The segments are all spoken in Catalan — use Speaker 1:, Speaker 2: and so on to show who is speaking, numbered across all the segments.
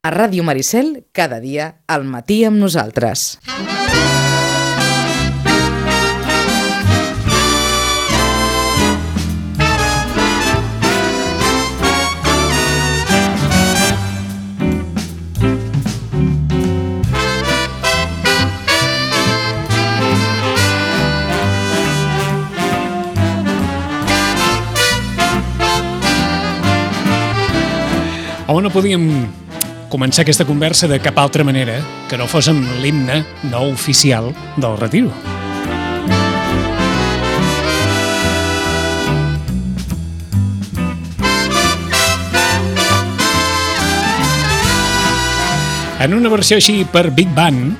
Speaker 1: A Ràdio Maricel, cada dia, al matí amb nosaltres.
Speaker 2: On no podíem començar aquesta conversa de cap altra manera que no fos amb l'himne no oficial del Retiro. En una versió així per Big Band,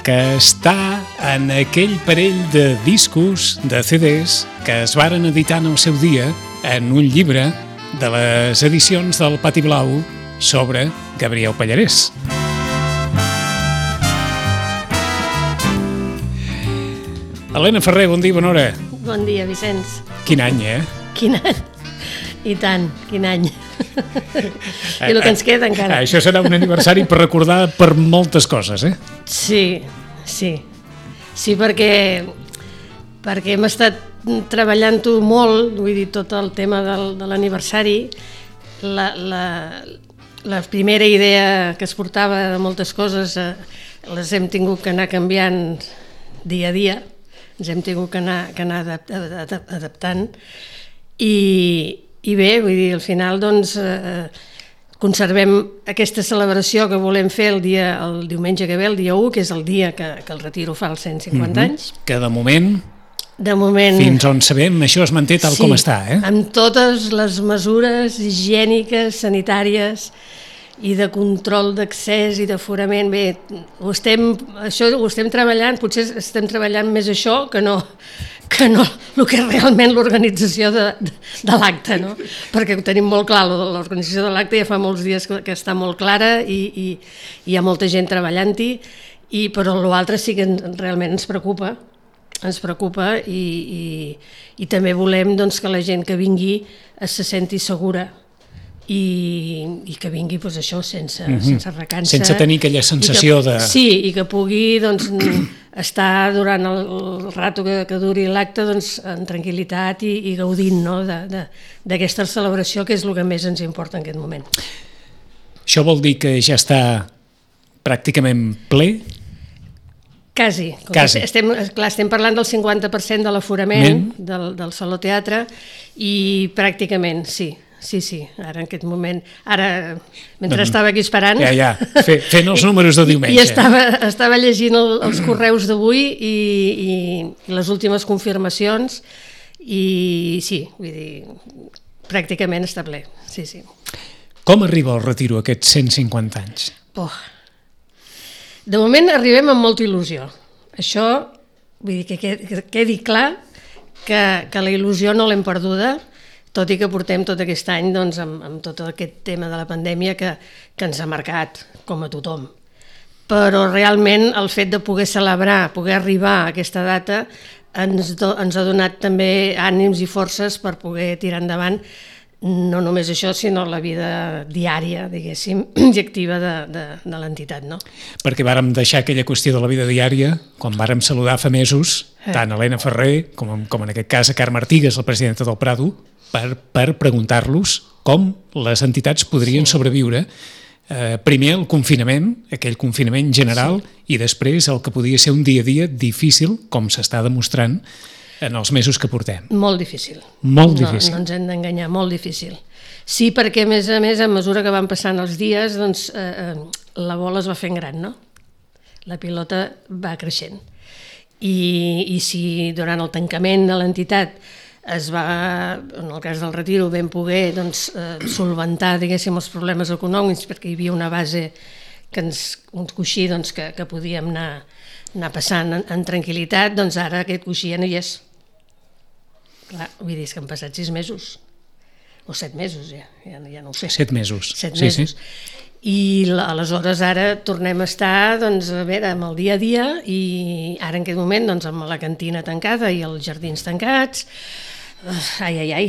Speaker 2: que està en aquell parell de discos, de CDs, que es varen editar en el seu dia en un llibre de les edicions del Pati Blau sobre Gabriel Pallarès. Helena Ferrer, bon dia, bona hora.
Speaker 3: Bon dia, Vicenç.
Speaker 2: Quin any,
Speaker 3: Quin any? I tant, quin any. I el que ens queda encara.
Speaker 2: Això serà un aniversari per recordar per moltes coses,
Speaker 3: Sí, perquè hem estat treballant-ho molt, vull dir, tot el tema de l'aniversari. La primera idea que es portava de moltes coses les hem tingut que anar canviant dia a dia, ens hem tingut que anar adaptant i bé, vull dir, al final doncs conservem aquesta celebració que volem fer el diumenge que ve, el dia 1, que és el dia que el Retiro fa els 150 anys.
Speaker 2: Que de moment, fins on sabem, això es manté tal com està,
Speaker 3: amb totes les mesures higièniques, sanitàries i de control d'accés i d'aforament. Bé, això ho estem treballant, potser estem treballant més això que no el que és realment l'organització de l'acte, no? Perquè ho tenim molt clar, l'organització de l'acte ja fa molts dies que està molt clara i hi ha molta gent treballant-hi, però l'altre sí que realment ens preocupa i també volem doncs, que la gent que vingui se senti segura i que vingui doncs, això sense recança.
Speaker 2: Sense tenir aquella sensació de...
Speaker 3: Sí, i que pugui doncs, estar durant el rato que duri l'acte doncs, en tranquil·litat i gaudint, no? d'aquesta celebració, que és el que més ens importa en aquest moment.
Speaker 2: Això vol dir que ja està pràcticament ple?
Speaker 3: Quasi. Estem parlant del 50% de l'aforament del Saló Teatre i pràcticament, sí, ara en aquest moment, mentre estava aquí esperant...
Speaker 2: Fent els números de diumenge.
Speaker 3: I estava llegint els correus d'avui i les últimes confirmacions i sí, vull dir, pràcticament està ple, sí.
Speaker 2: Com arriba el Retiro aquests 150 anys?
Speaker 3: De moment arribem amb molta il·lusió. Això, vull dir, que quedi clar que la il·lusió no l'hem perduda, tot i que portem tot aquest any doncs, amb tot aquest tema de la pandèmia que ens ha marcat, com a tothom. Però realment el fet de poder celebrar, poder arribar a aquesta data, ens ha donat també ànims i forces per poder tirar endavant no només això, sinó la vida diària, diguéssim, i activa de l'entitat, no?
Speaker 2: Perquè vàrem deixar aquella qüestió de la vida diària, quan vàrem saludar fa mesos, tant Helena Ferrer com en aquest cas a Carme Artigas, la presidenta del Prado, per preguntar-los com les entitats podrien sobreviure primer el confinament, aquell confinament general, i després el que podia ser un dia a dia difícil, com s'està demostrant en els mesos que portem.
Speaker 3: Molt difícil.
Speaker 2: Molt difícil.
Speaker 3: No ens hem d'enganyar, molt difícil. Sí, perquè a més, a mesura que van passant els dies, doncs la bola es va fent gran, no? La pilota va creixent. I si durant el tancament de l'entitat es va, en el cas del Retiro, vam poder solventar, diguéssim, els problemes econòmics, perquè hi havia una base un coixí que podíem anar passant en tranquil·litat, doncs ara aquest coixí ja no hi és. Clar, vull dir, és que han passat 6 mesos, o 7 mesos, ja no ho sé.
Speaker 2: 7 mesos.
Speaker 3: 7 mesos. I aleshores ara tornem a estar amb el dia a dia i ara en aquest moment amb la cantina tancada i els jardins tancats. Ai,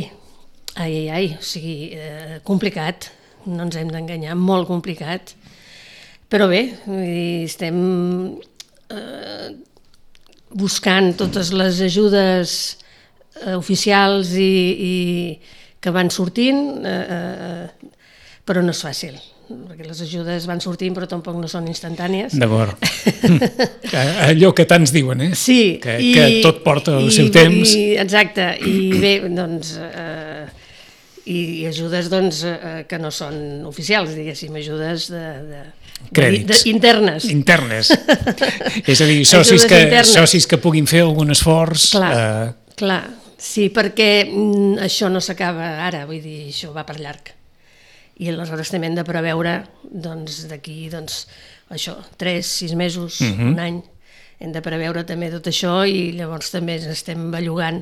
Speaker 3: o sigui, complicat, no ens hem d'enganyar, molt complicat. Però bé, vull dir, estem buscant totes les ajudes oficials i que van sortint, però no és fàcil, perquè les ajudes van sortint però tampoc no són instantànies.
Speaker 2: D'acord. Allò que tants diuen,
Speaker 3: Sí.
Speaker 2: Que tot porta el seu temps.
Speaker 3: Exacte, i bé, doncs... i ajudes que no són oficials, diguéssim, ajudes
Speaker 2: crèdits.
Speaker 3: Internes.
Speaker 2: És a dir, socis que puguin fer algun esforç.
Speaker 3: Clar, sí, perquè això no s'acaba ara, vull dir, això va per llarg. I aleshores també hem de preveure, d'aquí, això, 3-6 mesos, un any, hem de preveure també tot això i llavors també ens estem bellugant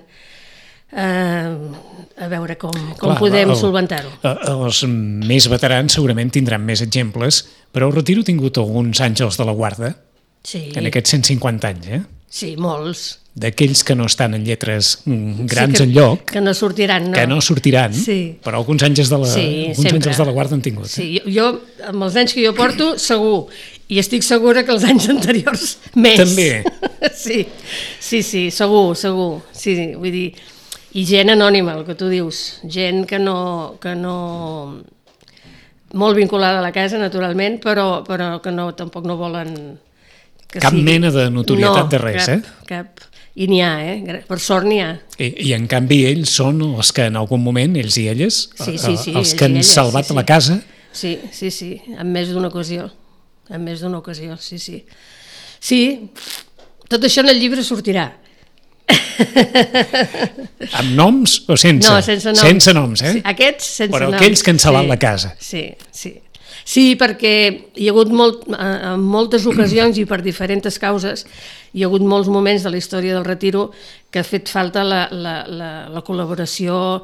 Speaker 3: a veure com podem solventar-ho.
Speaker 2: Els més veterans segurament tindran més exemples, però el Retiro ha tingut alguns àngels de la guarda en aquests 150 anys,
Speaker 3: Sí, molts.
Speaker 2: D'aquells que no estan en lletres grans enlloc,
Speaker 3: que no sortiran, no?
Speaker 2: Que no sortiran, però alguns àngels de la guarda han tingut.
Speaker 3: Sí, jo, amb els anys que jo porto, segur, i estic segura que els anys anteriors més.
Speaker 2: També?
Speaker 3: Sí, segur. Sí, vull dir, i gent anònima, el que tu dius, gent que no molt vinculada a la casa, naturalment, però que tampoc no volen...
Speaker 2: Cap mena de notorietat de res,
Speaker 3: cap. I n'hi ha, per sort n'hi ha.
Speaker 2: I en canvi ells són els que en algun moment, ells i elles, els que han salvat la casa.
Speaker 3: Sí, en més d'una ocasió. Sí. Sí, tot això en el llibre sortirà.
Speaker 2: Amb noms o sense?
Speaker 3: No, sense noms.
Speaker 2: Sense noms,
Speaker 3: Sí, aquests sense noms.
Speaker 2: Però aquells que han salvat la casa.
Speaker 3: Sí, perquè hi ha hagut en moltes ocasions i per diferents causes, hi ha hagut molts moments de la història del Retiro que ha fet falta la col·laboració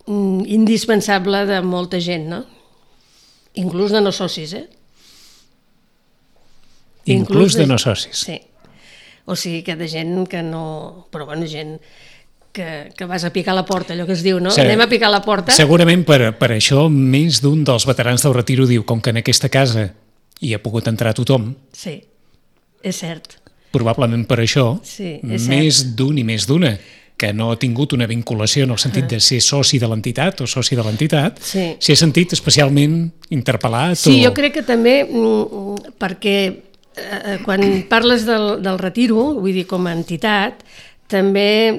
Speaker 3: indispensable de molta gent, no? Inclús de no socis,
Speaker 2: Inclús de no socis.
Speaker 3: Sí. O sigui que de gent que no... Però bueno, gent que vas a picar la porta, allò que es diu, no? Sí. Anem a picar la porta.
Speaker 2: Segurament per això més d'un dels veterans del Retiro diu com que en aquesta casa hi ha pogut entrar tothom.
Speaker 3: Sí, és cert.
Speaker 2: Probablement per això, més d'un i més d'una que no ha tingut una vinculació en el sentit de ser soci de l'entitat o soci de l'entitat, s'hi ha sentit especialment interpel·lat.
Speaker 3: Sí, jo crec que també perquè quan parles del Retiro, vull dir, com a entitat, també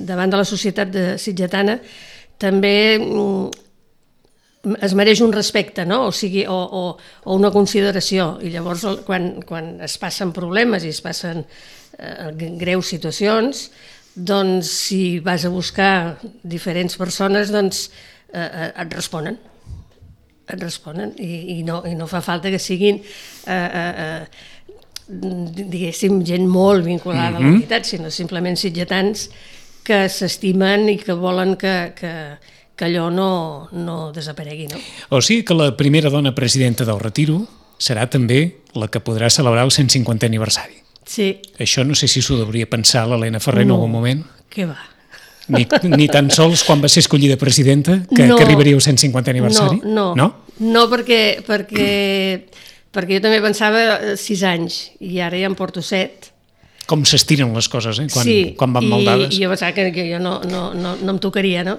Speaker 3: davant de la societat sitgetana també es mereix un respecte, no? O sigui, o una consideració, i llavors quan es passen problemes i es passen greus situacions, doncs si vas a buscar diferents persones, doncs et responen i no fa falta que siguin diguéssim, gent molt vinculada a l'entitat, sinó simplement sitgetans que s'estimen i que volen que allò no desaparegui, no?
Speaker 2: O sigui que la primera dona presidenta del Retiro serà també la que podrà celebrar el 150è aniversari.
Speaker 3: Sí.
Speaker 2: Això no sé si s'ho hauria pensar l'Helena Ferrer en algun moment.
Speaker 3: Què va?
Speaker 2: Ni tan sols quan va ser escollida presidenta que arribaria al 150è aniversari?
Speaker 3: No, perquè jo també pensava 6 anys i ara ja en porto 7.
Speaker 2: Com s'estiren les coses, quan van maldades.
Speaker 3: Sí, i jo pensava que jo no em tocaria, no?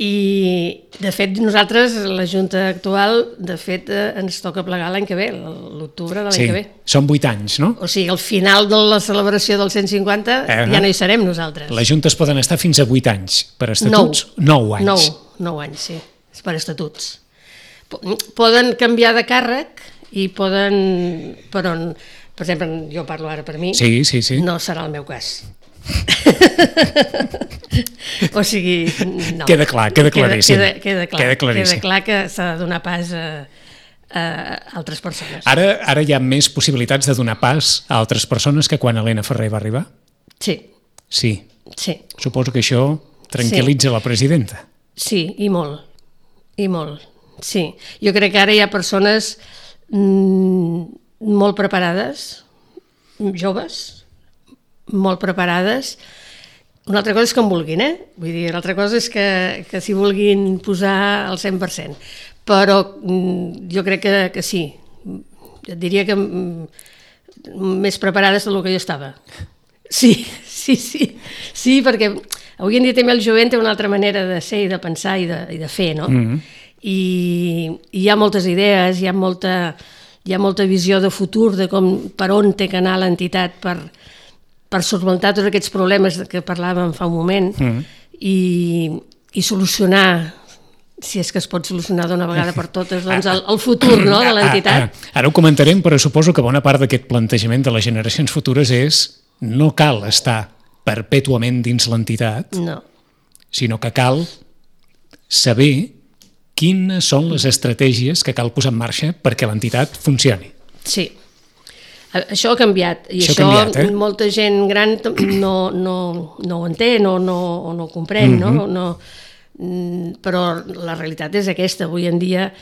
Speaker 3: I, de fet, nosaltres, la Junta actual, de fet, ens toca plegar l'any que ve, l'octubre de l'any que ve.
Speaker 2: Són 8 anys, no?
Speaker 3: O sigui, al final de la celebració del 150 ja no hi serem nosaltres.
Speaker 2: Les juntes poden estar fins a 8 anys. Per estatuts, 9 anys.
Speaker 3: 9 anys, sí, per estatuts. Poden canviar de càrrec i poden... Però, per exemple, jo parlo ara per mi, no serà el meu cas. O sigui, no.
Speaker 2: Queda claríssim.
Speaker 3: Queda clar que s'ha de donar pas a altres persones.
Speaker 2: Ara hi ha més possibilitats de donar pas a altres persones que quan Helena Ferrer va arribar?
Speaker 3: Sí.
Speaker 2: Suposo que això tranquil·litza la presidenta.
Speaker 3: Sí, i molt. Sí. Jo crec que ara hi ha persones molt preparades, joves, molt preparades. Una altra cosa és que en vulguin, Vull dir, l'altra cosa és que s'hi vulguin posar al 100%. però jo crec que sí. Et diria que més preparades del que jo estava. Sí, perquè avui en dia també el jovent té una altra manera de ser i de pensar i de fer, no? I hi ha moltes idees, hi ha molta visió de futur de per on té que anar l'entitat per solventar tots aquests problemes que parlàvem fa un moment i solucionar, si és que es pot solucionar d'una vegada per totes, doncs el futur, no?, de l'entitat.
Speaker 2: Ara ho comentarem, però suposo que bona part d'aquest plantejament de les generacions futures és no cal estar perpètuament dins l'entitat, sinó que cal saber quines són les estratègies que cal posar en marxa perquè l'entitat funcioni.
Speaker 3: Sí, això ha canviat, i això molta gent gran no ho entén o no ho comprèn, no? Però la realitat és aquesta. Avui en dia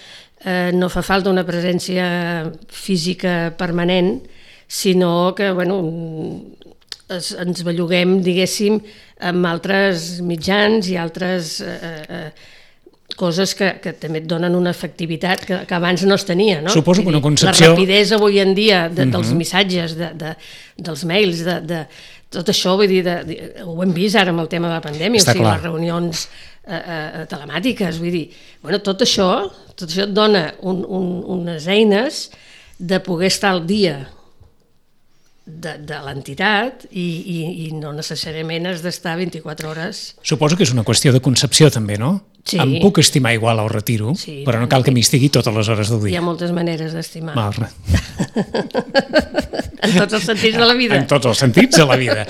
Speaker 3: no fa falta una presència física permanent, sinó que ens belluguem, diguéssim, amb altres mitjans i altres coses que també et donen una efectivitat que abans no es tenia, no?
Speaker 2: Suposo que una concepció...
Speaker 3: La rapidesa avui en dia dels missatges, dels mails, de tot això, vull dir, ho hem vist ara amb el tema de la pandèmia, o sigui, les reunions telemàtiques, vull dir, tot això et dona unes eines de poder estar al dia de l'entitat i no necessàriament has d'estar 24 hores.
Speaker 2: Suposo que és una qüestió de concepció també, no?
Speaker 3: Sí.
Speaker 2: Em puc estimar igual al retiro, però no cal que m'hi estigui totes les hores del dia.
Speaker 3: Hi ha moltes maneres d'estimar.
Speaker 2: En
Speaker 3: tots els sentits de la vida.
Speaker 2: En tots els sentits de la vida.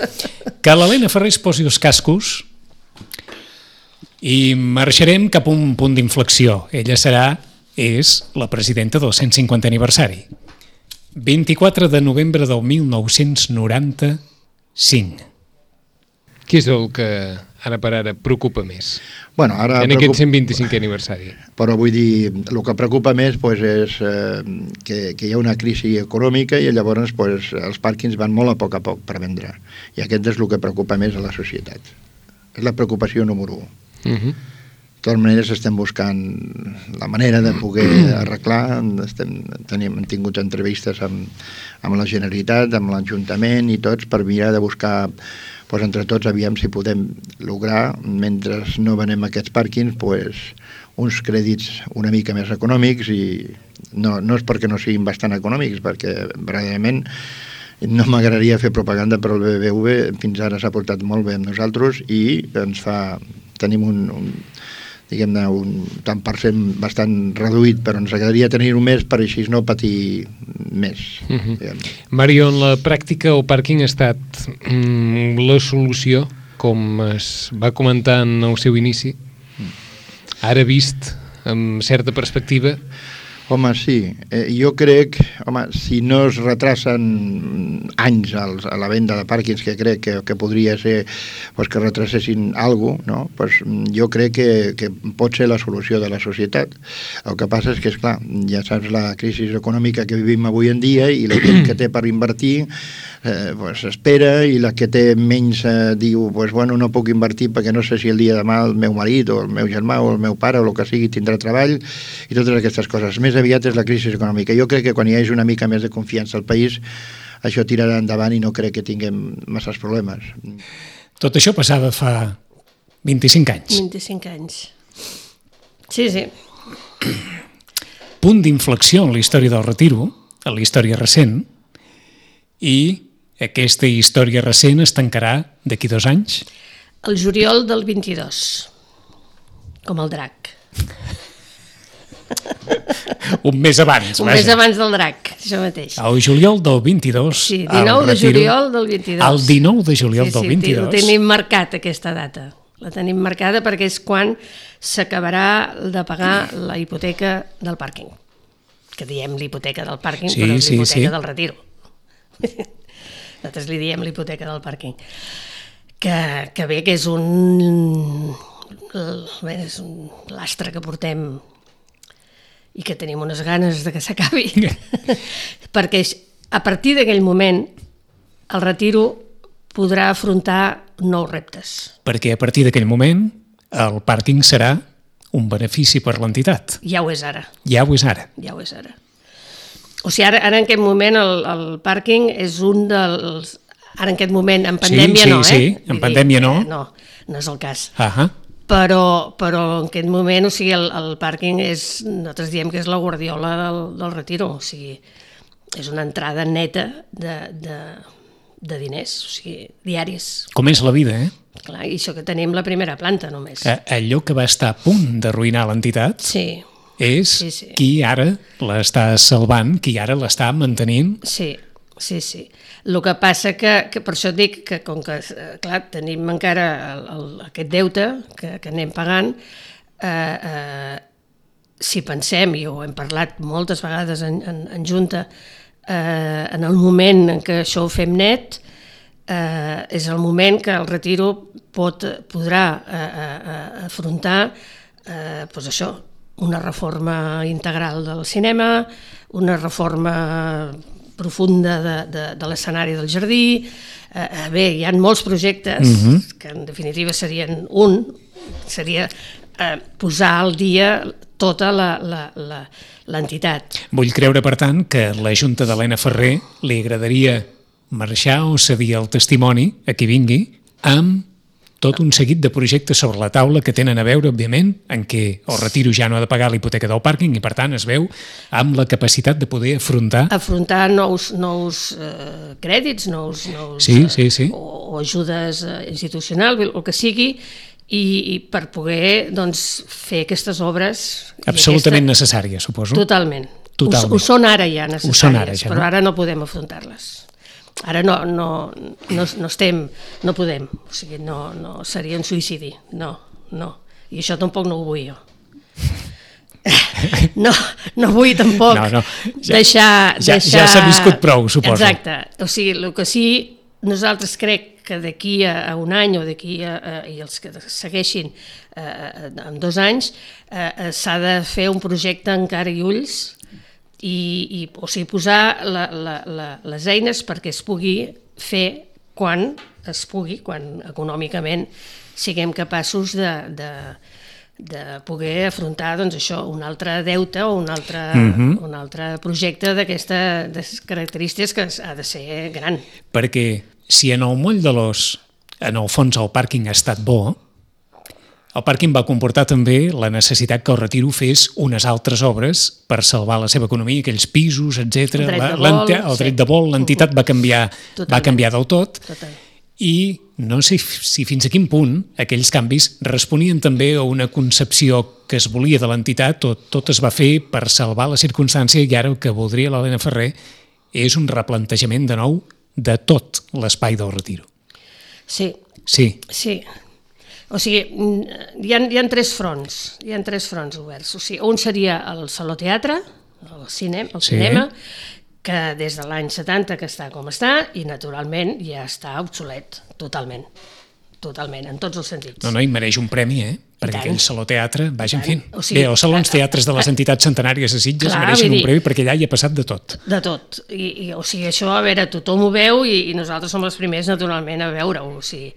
Speaker 2: Que l'Helena Ferrer es posi els cascos i marxarem cap a un punt d'inflexió. Ella és la presidenta del 150 aniversari. 24 de novembre del 1995.
Speaker 4: Què és el que ara per ara preocupa més
Speaker 5: en
Speaker 4: aquest 125è aniversari?
Speaker 5: Però vull dir, el que preocupa més és que hi ha una crisi econòmica i llavors els pàrquings van molt a poc per vendre. I aquest és el que preocupa més a la societat. És la preocupació número 1. De totes maneres estem buscant la manera de poder arreglar. Hem tingut entrevistes amb la Generalitat, amb l'Ajuntament i tots per mirar de buscar entre tots aviam si podem lograr, mentre no venem aquests pàrquings, uns crèdits una mica més econòmics, i no és perquè no siguin bastant econòmics, perquè verdaderament no m'agradaria fer propaganda, però el BBV fins ara s'ha portat molt bé amb nosaltres i tenim un tant per cent bastant reduït, però ens agradaria tenir-ho més per així no patir més.
Speaker 4: Mario, en la pràctica el pàrquing ha estat la solució, com es va comentar en el seu inici, ara vist amb certa perspectiva?
Speaker 5: Home, sí. Jo crec, si no es retracen anys a la venda de pàrquings, que crec que podria ser que retracessin alguna cosa, no? Jo crec que pot ser la solució de la societat. El que passa és que, esclar, ja saps la crisi econòmica que vivim avui en dia i la gent que té per invertir espera, i la que té menys diu, no puc invertir perquè no sé si el dia de demà el meu marit o el meu germà o el meu pare o el que sigui tindrà treball, i totes aquestes coses. Més aviat és la crisi econòmica. Jo crec que quan hi hagi una mica més de confiança al país, això tirarà endavant i no crec que tinguem masses problemes.
Speaker 2: Tot això passava fa 25 anys.
Speaker 3: 25 anys. Sí.
Speaker 2: Punt d'inflexió en la història del retiro, en la història recent, i aquesta història recent es tancarà d'aquí 2 anys?
Speaker 3: El juliol del 22, com el drac.
Speaker 2: Un mes abans.
Speaker 3: Un mes abans del drac, això mateix.
Speaker 2: El juliol del 22.
Speaker 3: Sí, 19 de juliol del 22.
Speaker 2: El 19 de juliol del 22.
Speaker 3: Sí, ho tenim marcat, aquesta data. La tenim marcada perquè és quan s'acabarà de pagar la hipoteca del pàrquing. Que diem l'hipoteca del pàrquing, però és l'hipoteca del retiro. Nosaltres li diem l'hipoteca del pàrquing. Que bé, que és un lastre que portem i que tenim unes ganes de que s'acabi. Perquè a partir d'aquell moment el retiro podrà afrontar nous reptes.
Speaker 2: Perquè a partir d'aquell moment el pàrquing serà un benefici per l'entitat.
Speaker 3: Ja ho és ara.
Speaker 2: Ja ho és ara.
Speaker 3: Ja ho és ara. O sigui, ara en aquest moment el pàrquing és un dels... Ara en aquest moment, en pandèmia no, eh?
Speaker 2: Sí, en pandèmia no.
Speaker 3: No és el cas.
Speaker 2: Però
Speaker 3: en aquest moment, o sigui, el pàrquing és... Nosaltres diem que és la Guardiola del Retiro, o sigui, és una entrada neta de diners, o sigui, diaris.
Speaker 2: com és la vida, eh?
Speaker 3: Clar, i això que tenim la primera planta només.
Speaker 2: Allò que va estar a punt d'arruïnar l'entitat és qui ara l'està salvant, qui ara l'està mantenint.
Speaker 3: Sí. El que passa que per això et dic que com que, clar, tenim encara aquest deute que anem pagant, si pensem, i ho hem parlat moltes vegades en junta, en el moment en què això ho fem net, és el moment que el Retiro podrà afrontar doncs això, una reforma integral del cinema, una reforma profunda de l'escenari del jardí. Bé, hi ha molts projectes que en definitiva serien seria posar al dia tota l'entitat.
Speaker 2: Vull creure, per tant, que a la Junta d'Helena Ferrer li agradaria marxar o cedir el testimoni a qui vingui amb tot un seguit de projectes sobre la taula que tenen a veure, òbviament, en què el Retiro ja no ha de pagar la hipoteca del pàrquing i, per tant, es veu amb la capacitat de poder afrontar
Speaker 3: nous crèdits,
Speaker 2: sí.
Speaker 3: o ajudes institucionals, el que sigui, i per poder fer aquestes obres...
Speaker 2: Absolutament necessàries, suposo.
Speaker 3: Totalment. Ho són ara ja necessàries, però ara no podem afrontar-les. Ara no podem, o sigui, no seria un suïcidi, no, i això tampoc no ho vull jo. No vull tampoc deixar...
Speaker 2: Ja s'ha viscut prou, suposo.
Speaker 3: Exacte, o sigui, el que sí, nosaltres crec que d'aquí a un any o d'aquí i els que segueixin en 2 anys s'ha de fer un projecte en cara i ulls, o sigui, posar les eines perquè es pugui fer quan econòmicament siguem capaços de poder afrontar això, un altre deute o un altre projecte d'aquestes característiques que ha de ser gran.
Speaker 2: Perquè si en el moll de l'os, en el fons el pàrquing ha estat bo, el pàrquing va comportar també la necessitat que el Retiro fes unes altres obres per salvar la seva economia, aquells pisos, etc. El dret de vol, l'entitat va canviar del tot. I no sé si fins a quin punt aquells canvis responien també a una concepció que es volia de l'entitat, tot es va fer per salvar la circumstància, i ara el que voldria l'Helena Ferrer és un replantejament de nou de tot l'espai del Retiro.
Speaker 3: Sí. O sigui, hi ha 3 fronts oberts. O sigui, un seria el Saló-Teatre, el cinema, que des de l'any 70 que està com està, i naturalment ja està obsolet, totalment, en tots els sentits.
Speaker 2: No, i mereix un premi, perquè aquell Saló-Teatre, vaja, en fi. Bé, els salons teatres de les entitats centenàries de Sitges mereixen un premi perquè allà hi ha passat de tot.
Speaker 3: De tot. O sigui, això, a veure, tothom ho veu i nosaltres som els primers, naturalment, a veure-ho. O sigui,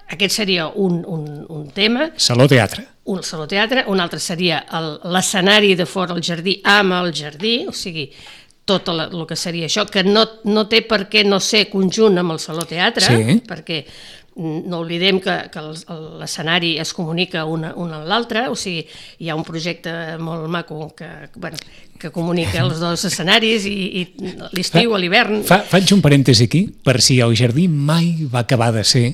Speaker 3: aquest seria un tema.
Speaker 2: Saló-Teatre.
Speaker 3: Un Saló-Teatre, un altre seria l'escenari de fora al jardí amb el jardí, o sigui, tot el que seria això, que no té per què no ser conjunt amb el Saló-Teatre, perquè no oblidem que l'escenari es comunica un amb l'altre, o sigui, hi ha un projecte molt maco que comunica els 2 escenaris, i l'estiu, a l'hivern...
Speaker 2: Faig un parèntesi aquí, per si el jardí mai va acabar de ser,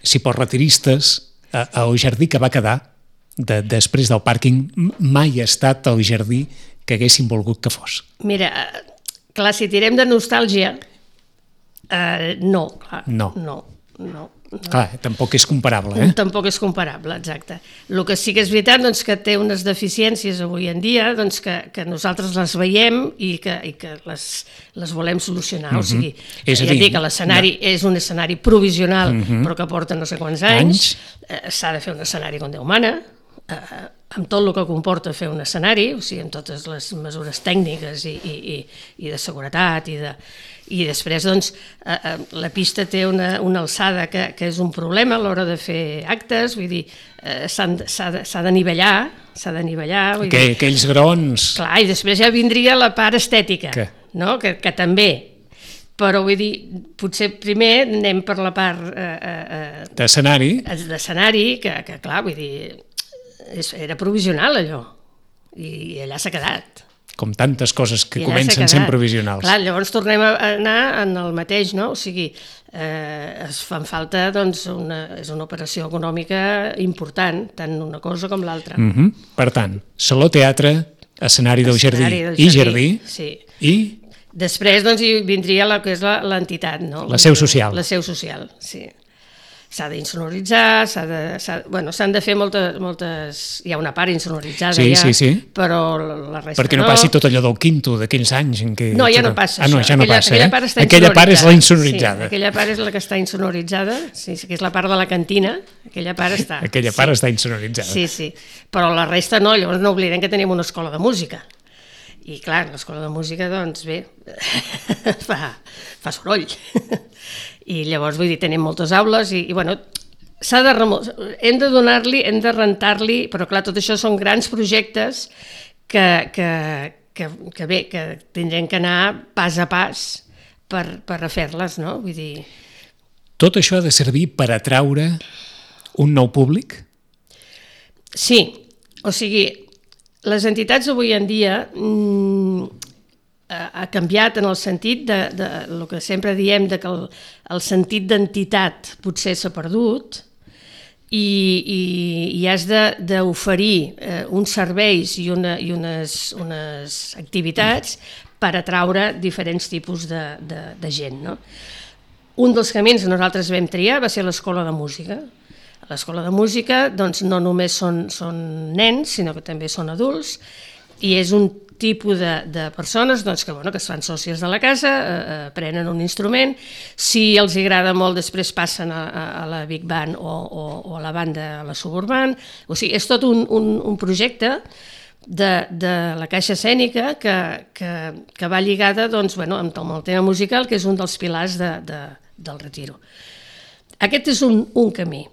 Speaker 2: si pels retiristes, el jardí que va quedar després del pàrquing mai ha estat el jardí que haguessin volgut que fos.
Speaker 3: Mira, clar, si tirem de nostàlgia, no.
Speaker 2: Clar, tampoc és comparable,
Speaker 3: Tampoc és comparable, exacte. El que sí que és veritat, que té unes deficiències avui en dia, que nosaltres les veiem i que les volem solucionar. O sigui, ja dic que l'escenari és un escenari provisional, però que porta no sé quants anys. S'ha de fer un escenari com Déu mana, amb tot el que comporta fer un escenari, o sigui, amb totes les mesures tècniques i de seguretat i després doncs, la pista té una alçada que és un problema a l'hora de fer actes, vull dir, s'ha de nivellar,
Speaker 2: Aquells grons...
Speaker 3: Clar, i després ja vindria la part estètica, no? que també, però vull dir, potser primer anem per la part...
Speaker 2: d'escenari,
Speaker 3: que clar, vull dir, era provisional allò, i allà s'ha quedat.
Speaker 2: Com tantes coses que comencen sent provisionals.
Speaker 3: Clar, llavors tornem a anar en el mateix, no? O sigui, es fan falta, doncs, és una operació econòmica important, tant una cosa com l'altra.
Speaker 2: Per tant, saló-teatre, escenari del jardí i jardí, i...
Speaker 3: Després, doncs, hi vindria el que és l'entitat, no?
Speaker 2: La seu social.
Speaker 3: La seu social, sí. S'ha d'insonoritzar, s'han de fer moltes... Hi ha una part insonoritzada
Speaker 2: sí.
Speaker 3: Però la resta no.
Speaker 2: Perquè no passi tot allò del quinto, d'aquells anys en què...
Speaker 3: No, ja no passa
Speaker 2: això. Ja no passa,
Speaker 3: aquella part està
Speaker 2: aquella part és la insonoritzada.
Speaker 3: Sí, aquella part és la que està insonoritzada, sí, que és la part de la cantina, aquella part està...
Speaker 2: Aquella part està insonoritzada.
Speaker 3: Sí, però la resta no, llavors no oblidem que tenim una escola de música. I clar, l'escola de música, doncs bé, fa soroll. I llavors, vull dir, tenim moltes aules i bueno, hem de donar-li, hem de rentar-li, però clar, tot això són grans projectes que bé, que tindrem que anar pas a pas per a fer-les, no? Vull dir...
Speaker 2: Tot això ha de servir per atraure un nou públic?
Speaker 3: Sí, o sigui, les entitats avui en dia ha canviat en el sentit de el que sempre diem, de que el sentit d'entitat potser s'ha perdut i has d'oferir uns serveis i unes activitats per atraure diferents tipus de gent, no? Un dels camins que nosaltres vam triar va ser l'escola de música. A l'escola de música doncs, no només són nens, sinó que també són adults, i és un tipus de persones doncs, que es fan sòcies de la casa, aprenen un instrument, si els agrada molt després passen a la Big Band o a la banda a la Suburban, o sigui, és tot un projecte de la caixa escènica que va lligada doncs, amb el tema musical, que és un dels pilars del Retiro. Aquest és un camí.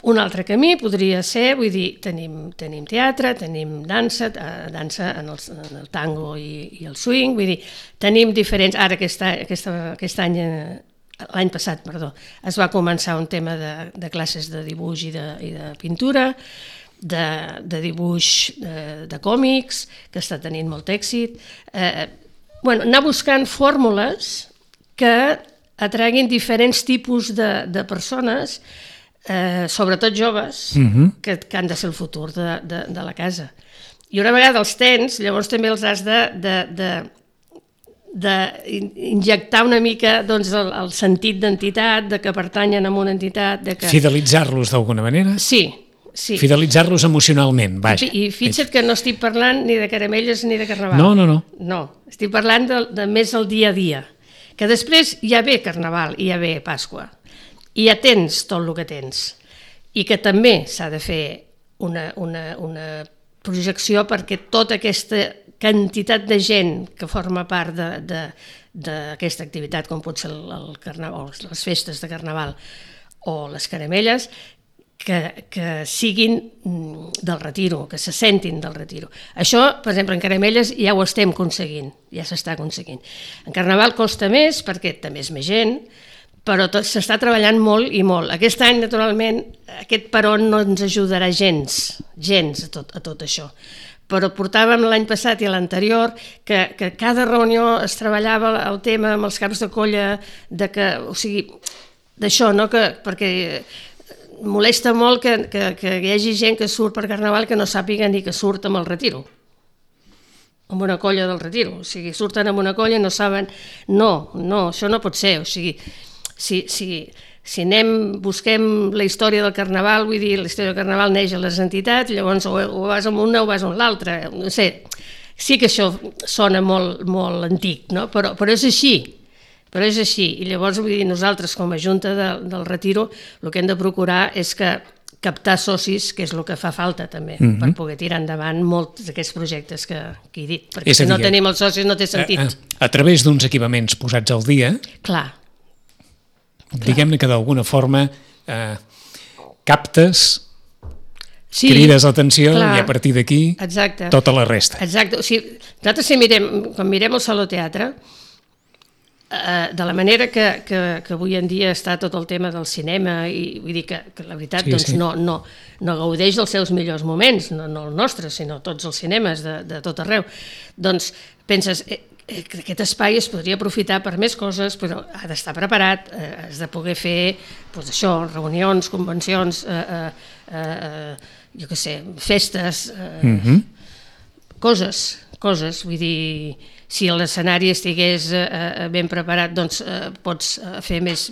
Speaker 3: Un altre camí podria ser, vull dir, tenim teatre, tenim dansa en el tango i el swing, vull dir, tenim diferents... Ara aquest any, l'any passat, es va començar un tema de classes de dibuix i de pintura, de dibuix de còmics, que està tenint molt èxit. Anar buscant fórmules que atraguin diferents tipus de persones, sobretot joves, que han de ser el futur de la casa. I una vegada els tens, llavors també els has d'injectar una mica el sentit d'entitat, de que pertanyen a una entitat...
Speaker 2: Fidelitzar-los d'alguna manera?
Speaker 3: Sí.
Speaker 2: Fidelitzar-los emocionalment, vaja.
Speaker 3: I fixa't que no estic parlant ni de caramelles ni de carnaval.
Speaker 2: No,
Speaker 3: estic parlant de més el dia a dia. Que després ja ve carnaval i ja ve Pasqua. I ja tens tot el que tens. I que també s'ha de fer una projecció perquè tota aquesta quantitat de gent que forma part d'aquesta activitat, com pot ser el carnaval, les festes de carnaval o les caramelles, que siguin del Retiro, que se sentin del Retiro. Això, per exemple, en caramelles ja ho estem aconseguint, ja s'està aconseguint. En carnaval costa més perquè també és més gent, però s'està treballant molt i molt. Aquest any, naturalment, aquest peron no ens ajudarà gens a tot això. Però portàvem l'any passat i l'anterior que cada reunió es treballava el tema amb els caps de colla, d'això, no? Perquè molesta molt que hi hagi gent que surt per carnaval que no sàpiga ni que surt amb el Retiro, amb una colla del Retiro. O sigui, surten amb una colla i no saben... No, això no pot ser. O sigui, si busquem la història del carnaval, vull dir, la història del carnaval neix a les entitats, llavors o vas amb una o vas amb l'altra. No sé, sí que això sona molt, molt antic, no? Però és així. I llavors, vull dir, nosaltres com a Junta del Retiro el que hem de procurar és que captar socis, que és el que fa falta també, per poder tirar endavant molts d'aquests projectes que he dit, perquè si no tenim els socis no té sentit.
Speaker 2: A través d'uns equipaments posats al dia,
Speaker 3: Clar.
Speaker 2: Diguem-ne que d'alguna forma captes,
Speaker 3: Sí,
Speaker 2: crides l'atenció
Speaker 3: clar.
Speaker 2: i a partir d'aquí tota la resta.
Speaker 3: Exacte. O sigui, nosaltres quan mirem el Saló Teatre, de la manera que avui en dia està tot el tema del cinema, i vull dir que la veritat no gaudeix dels seus millors moments, no el nostre, sinó tots els cinemes de tot arreu, doncs penses que aquest espai es podria aprofitar per més coses, però ha d'estar preparat, has de poder fer reunions, convencions, jo què sé, festes, coses, vull dir, si l'escenari estigués ben preparat, doncs pots fer més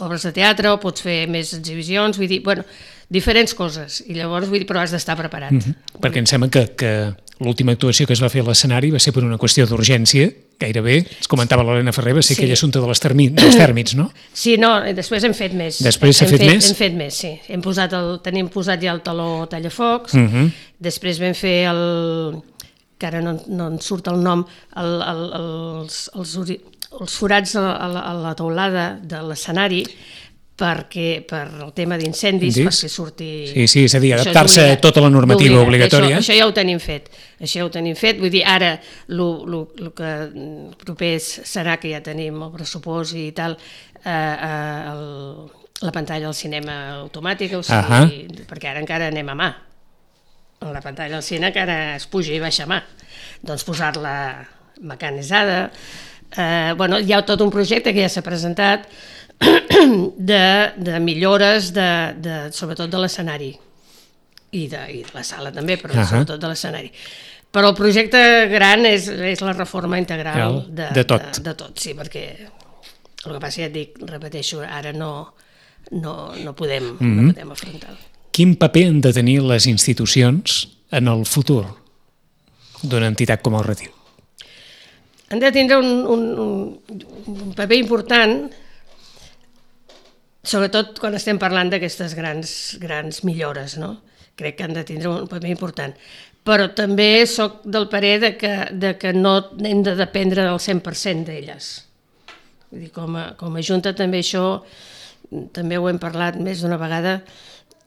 Speaker 3: obres de teatre o pots fer més exhibicions, vull dir, diferents coses, i llavors, vull dir, però has d'estar preparat.
Speaker 2: Perquè em sembla que l'última actuació que es va fer a l'escenari va ser per una qüestió d'urgència, gairebé, ens comentava l'Helena Ferrer, va ser aquell assumpte dels tèrmits, no?
Speaker 3: Sí, no, després hem fet més.
Speaker 2: Després s'ha fet més?
Speaker 3: Hem fet més, sí. Tenim posat ja el taló tallafocs, després vam fer que ara no en surt el nom, els forats a la teulada de l'escenari, per el tema d'incendis, perquè surti...
Speaker 2: Sí, és a dir, adaptar-se a tota la normativa obligatòria.
Speaker 3: Això ja ho tenim fet, vull dir, ara el que proper serà que ja tenim el pressupost i tal, la pantalla del cinema automàtica, o sigui, perquè ara encara anem a mà. La pantalla del cine encara es puja i baixa a mà. Doncs posar-la mecanitzada. Hi ha tot un projecte que ja s'ha presentat de millores sobretot de l'escenari i de la sala també, però sobretot de l'escenari. Però el projecte gran és la reforma integral de tot, sí, perquè el que passa, ja et dic, repeteixo, ara no podem afrontar-ho.
Speaker 2: Quin paper han de tenir les institucions en el futur d'una entitat com el Retir?
Speaker 3: Han de tindre un paper important, sobretot quan estem parlant d'aquestes grans millores, no? Crec que han de tindre un paper important. Però també soc del parer de que no hem de dependre del 100% d'elles. Vull dir, com a Junta també això, també ho hem parlat més d'una vegada,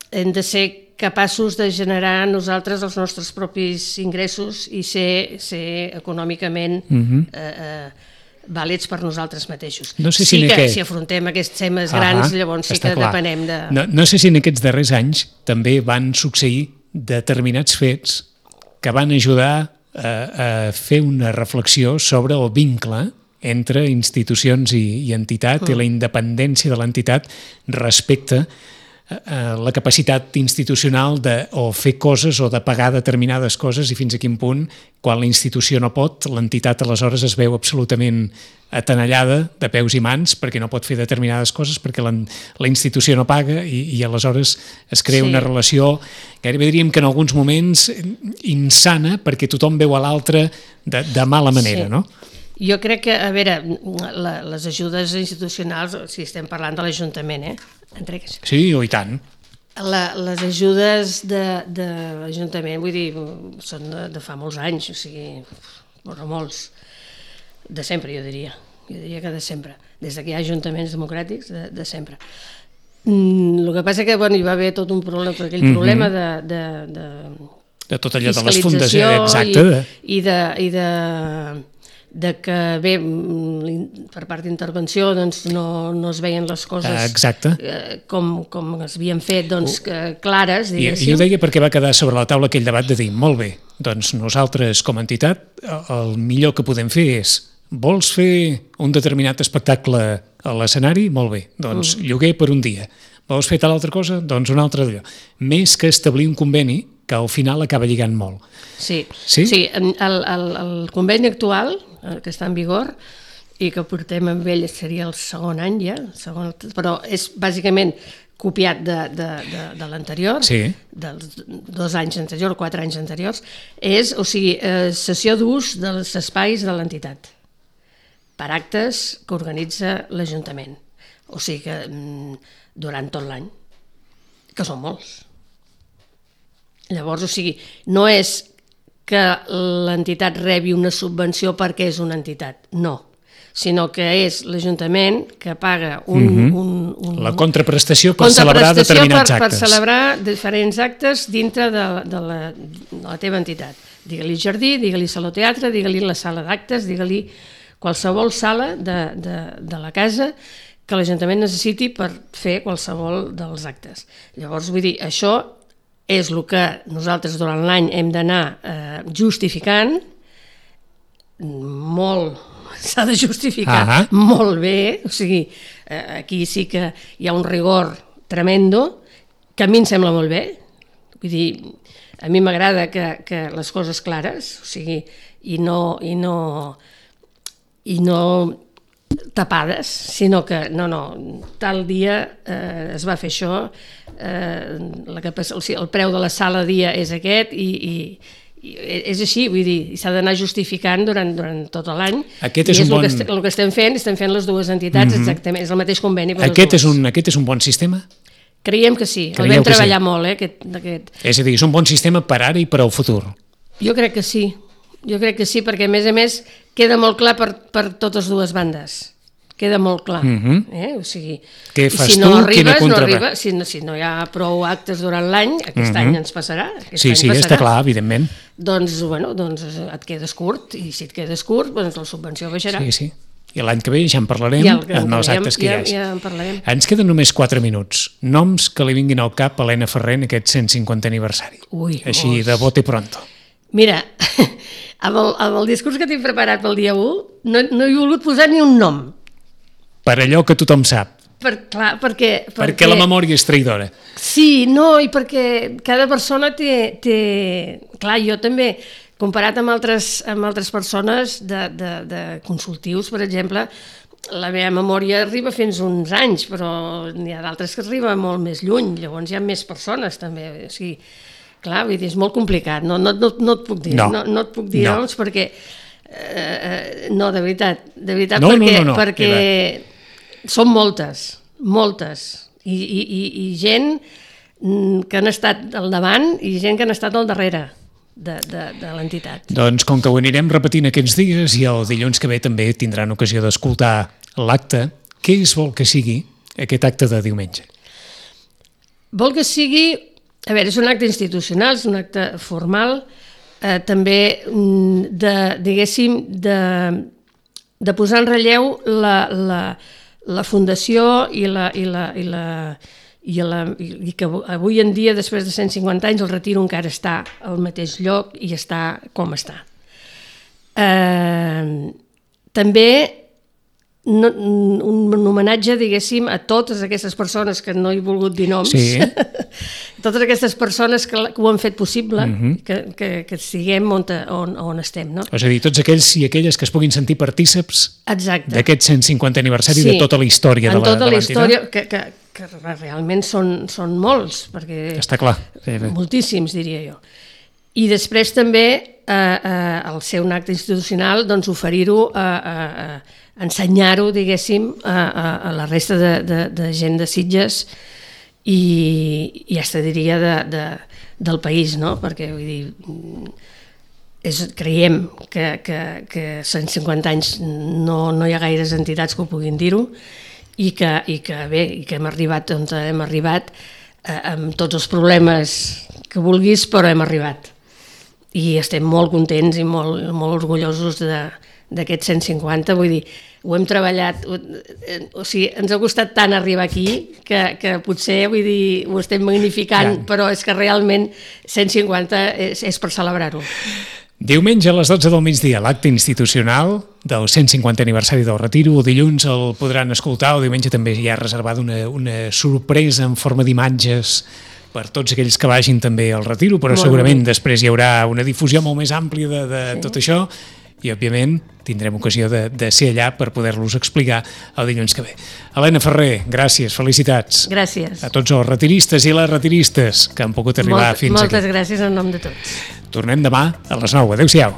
Speaker 3: hem de ser capaços de generar nosaltres els nostres propis ingressos i ser econòmicament vàlids per nosaltres mateixos. Sí que si afrontem aquests temes grans, llavors sí que depenem de...
Speaker 2: No sé si en aquests darrers anys també van succeir determinats fets que van ajudar a fer una reflexió sobre el vincle entre institucions i entitat i la independència de l'entitat respecte la capacitat institucional de o fer coses o de pagar determinades coses i fins a quin punt, quan la institució no pot, l'entitat aleshores es veu absolutament atenallada de peus i mans perquè no pot fer determinades coses perquè la institució no paga i aleshores es crea una relació, gairebé diríem que en alguns moments insana perquè tothom veu a l'altre de mala manera, no?
Speaker 3: Jo crec que, a veure, les ajudes institucionals, si estem parlant de l'Ajuntament,
Speaker 2: Sí, i tant.
Speaker 3: Les ajudes de l'Ajuntament, vull dir, són de fa molts anys, o sigui, molts, de sempre, jo diria que de sempre, des que hi ha ajuntaments democràtics, de sempre. El que passa que hi va haver tot un problema, aquell problema
Speaker 2: de tot allò de les fundacions, exacte.
Speaker 3: I que bé, per part d'intervenció no es veien les coses com es havien fet clares, diguéssim.
Speaker 2: I ho deia perquè va quedar sobre la taula aquell debat de dir, molt bé, doncs nosaltres com a entitat el millor que podem fer és vols fer un determinat espectacle a l'escenari? Molt bé, doncs lloguer per un dia. Vols fer tal altra cosa? Doncs un altre d'allò. Més que establir un conveni que al final acaba lligant molt.
Speaker 3: Sí, el conveni actual, que està en vigor, i que portem amb ell seria el segon any ja, però és bàsicament copiat de l'anterior, dels 2 anys anteriors, 4 anys anteriors, és, o sigui, cessió d'ús dels espais de l'entitat per actes que organitza l'Ajuntament. O sigui que durant tot l'any. que són molts. Llavors, o sigui, no és que l'entitat rebi una subvenció perquè és una entitat, no, sinó que és l'Ajuntament que paga
Speaker 2: la contraprestació per celebrar determinats actes.
Speaker 3: Per celebrar diferents actes dintre de la teva entitat. Digue-li jardí, digue-li saló teatre, digue-li la sala d'actes, digue-li qualsevol sala de la casa que l'Ajuntament necessiti per fer qualsevol dels actes. Llavors, vull dir, això és el que nosaltres durant l'any hem d'anar justificant, molt, s'ha de justificar molt bé, o sigui, aquí sí que hi ha un rigor tremendo, que a mi em sembla molt bé, vull dir, a mi m'agrada que les coses clares, o sigui, i no tapades, sinó que tal dia es va fer això, el preu de la sala dia és aquest i és així, vull dir, s'ha d'anar justificant durant tot l'any.
Speaker 2: Aquest és un bon...
Speaker 3: El que estem fent les dues entitats, exactament, és el mateix conveni per
Speaker 2: Aquest és un bon sistema?
Speaker 3: Creiem que sí, el vam treballar molt, aquest.
Speaker 2: És a dir, és un bon sistema per ara i per al futur?
Speaker 3: Jo crec que sí, perquè a més queda molt clar per totes dues bandes. Queda molt clar. O sigui,
Speaker 2: què fas
Speaker 3: si no
Speaker 2: tu?
Speaker 3: arribes, no arribes. Si no hi ha prou actes durant l'any, aquest any ens passarà.
Speaker 2: Sí, està clar, evidentment.
Speaker 3: Doncs et quedes curt, i si et quedes curt, la subvenció baixarà.
Speaker 2: Sí. I l'any que ve ja en parlarem en els actes que hi hagi.
Speaker 3: Ja en parlarem.
Speaker 2: Ens queden només 4 minuts. Noms que li vinguin al cap a Helena Ferrer en aquest 150 aniversari. Així, de bote pronto.
Speaker 3: Mira, amb el discurs que tinc preparat pel dia 1, no he volgut posar ni un nom.
Speaker 2: Per allò que tothom sap.
Speaker 3: Perquè
Speaker 2: la memòria és traïdora.
Speaker 3: Sí, i perquè cada persona té... Clar, jo també, comparat amb altres persones de consultius, per exemple, la meva memòria arriba fins uns anys, però n'hi ha d'altres que arriba molt més lluny, llavors hi ha més persones també. O sigui, clar, vull dir, és molt complicat, no et puc dir, no et puc dir noms perquè... No, de veritat, perquè són moltes, i gent que han estat al davant i gent que han estat al darrere de l'entitat.
Speaker 2: Doncs com que ho anirem repetint aquests dies i el dilluns que ve també tindran ocasió d'escoltar l'acte, què es vol que sigui aquest acte de diumenge?
Speaker 3: Vol que sigui, a veure, és un acte institucional, és un acte formal, també diguéssim de posar en relleu la fundació i que avui en dia, després de 150 anys, el Retiro encara està al mateix lloc i està com està. També un homenatge, diguéssim, a totes aquestes persones que no he volgut dir noms, totes aquestes persones que ho han fet possible, que estiguem on estem. No?
Speaker 2: És a dir, tots aquells i aquelles que es puguin sentir partíceps d'aquest 150 aniversari de tota la història de l'entitat.
Speaker 3: En tota la història, que realment són molts, perquè
Speaker 2: està clar.
Speaker 3: Moltíssims, diria jo. I després també, al ser un acte institucional, oferir-ho ensenyar-ho, diguéssim, a la resta de gent de Sitges i ja es diria del país, no? Perquè, vull dir, creiem que 150 anys no hi ha gaires entitats que ho puguin dir-ho i que hem arribat on hem arribat amb tots els problemes que vulguis, però hem arribat. I estem molt contents i molt orgullosos d'aquest 150, vull dir, ho hem treballat, o sigui, ens ha costat tant arribar aquí que potser, vull dir, ho estem magnificant, però és que realment 150 és per celebrar-ho.
Speaker 2: Diumenge a les 12 del migdia, l'acte institucional del 150 aniversari del Retiro. Dilluns el podran escoltar, o diumenge també hi ha reservada una sorpresa en forma d'imatges per tots aquells que vagin també al Retiro, però segurament després hi haurà una difusió molt més àmplia de tot això i, òbviament, tindrem ocasió de ser allà per poder-los explicar el dilluns que ve. Helena Ferrer, gràcies, felicitats.
Speaker 3: Gràcies.
Speaker 2: A tots els retiristes i les retiristes que han pogut arribar fins aquí.
Speaker 3: Moltes gràcies en nom de tots.
Speaker 2: Tornem demà a les 9. Adéu-siau.